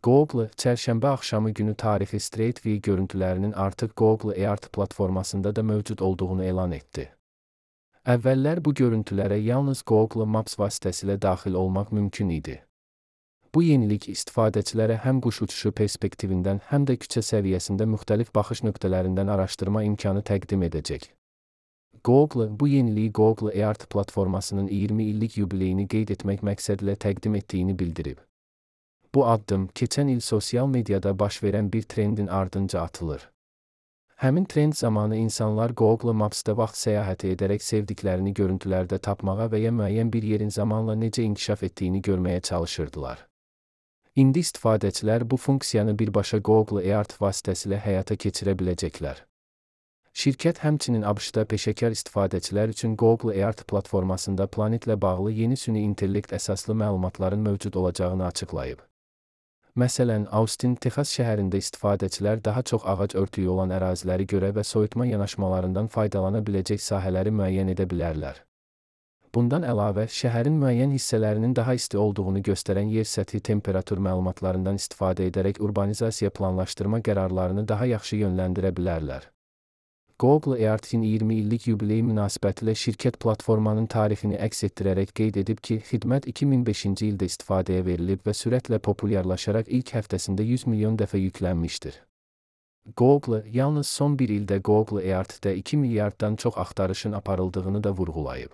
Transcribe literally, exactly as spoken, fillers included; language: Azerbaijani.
Google, çərşənbə axşamı günü tarixi Street View görüntülərinin artıq Google Earth platformasında da mövcud olduğunu elan etdi. Əvvəllər bu görüntülərə yalnız Google Maps vasitəsilə daxil olmaq mümkün idi. Bu yenilik istifadəçilərə həm quş uçuşu perspektivindən, həm də küçə səviyyəsində müxtəlif baxış nöqtələrindən araşdırma imkanı təqdim edəcək. Google, bu yeniliyi Google Earth platformasının iyirmi illik yubileyini qeyd etmək məqsədilə təqdim etdiyini bildirib. Bu addım, keçən il sosial mediada baş verən bir trendin ardınca atılır. Həmin trend zamanı insanlar Google Maps-da vaxt səyahəti edərək sevdiklərini görüntülərdə tapmağa və ya müəyyən bir yerin zamanla necə inkişaf etdiyini görməyə çalışırdılar. İndi istifadəçilər bu funksiyanı birbaşa Google Earth vasitəsilə həyata keçirə biləcəklər. Şirkət həmçinin ABŞ-da peşəkar istifadəçilər üçün Google Earth platformasında planetlə bağlı yeni süni intellekt əsaslı məlumatların mövcud olacağını açıqlayıb. Məsələn, Austin, Texas şəhərində istifadəçilər daha çox ağac örtüyü olan əraziləri görə və soyutma yanaşmalarından faydalana biləcək sahələri müəyyən edə bilərlər. Bundan əlavə, şəhərin müəyyən hissələrinin daha isti olduğunu göstərən yer səthi temperatur məlumatlarından istifadə edərək urbanizasiya planlaşdırma qərarlarını daha yaxşı yönləndirə bilərlər. Google Earth-in iyirmi illik yubileyi münasibətilə şirkət platformanın tarixini əks etdirərək qeyd edib ki, xidmət iki min beşinci ildə istifadəyə verilib və sürətlə populyarlaşaraq ilk həftəsində yüz milyon dəfə yüklənmişdir. Google, yalnız son bir ildə Google Earth-də iki milyarddan çox axtarışın aparıldığını da vurğulayıb.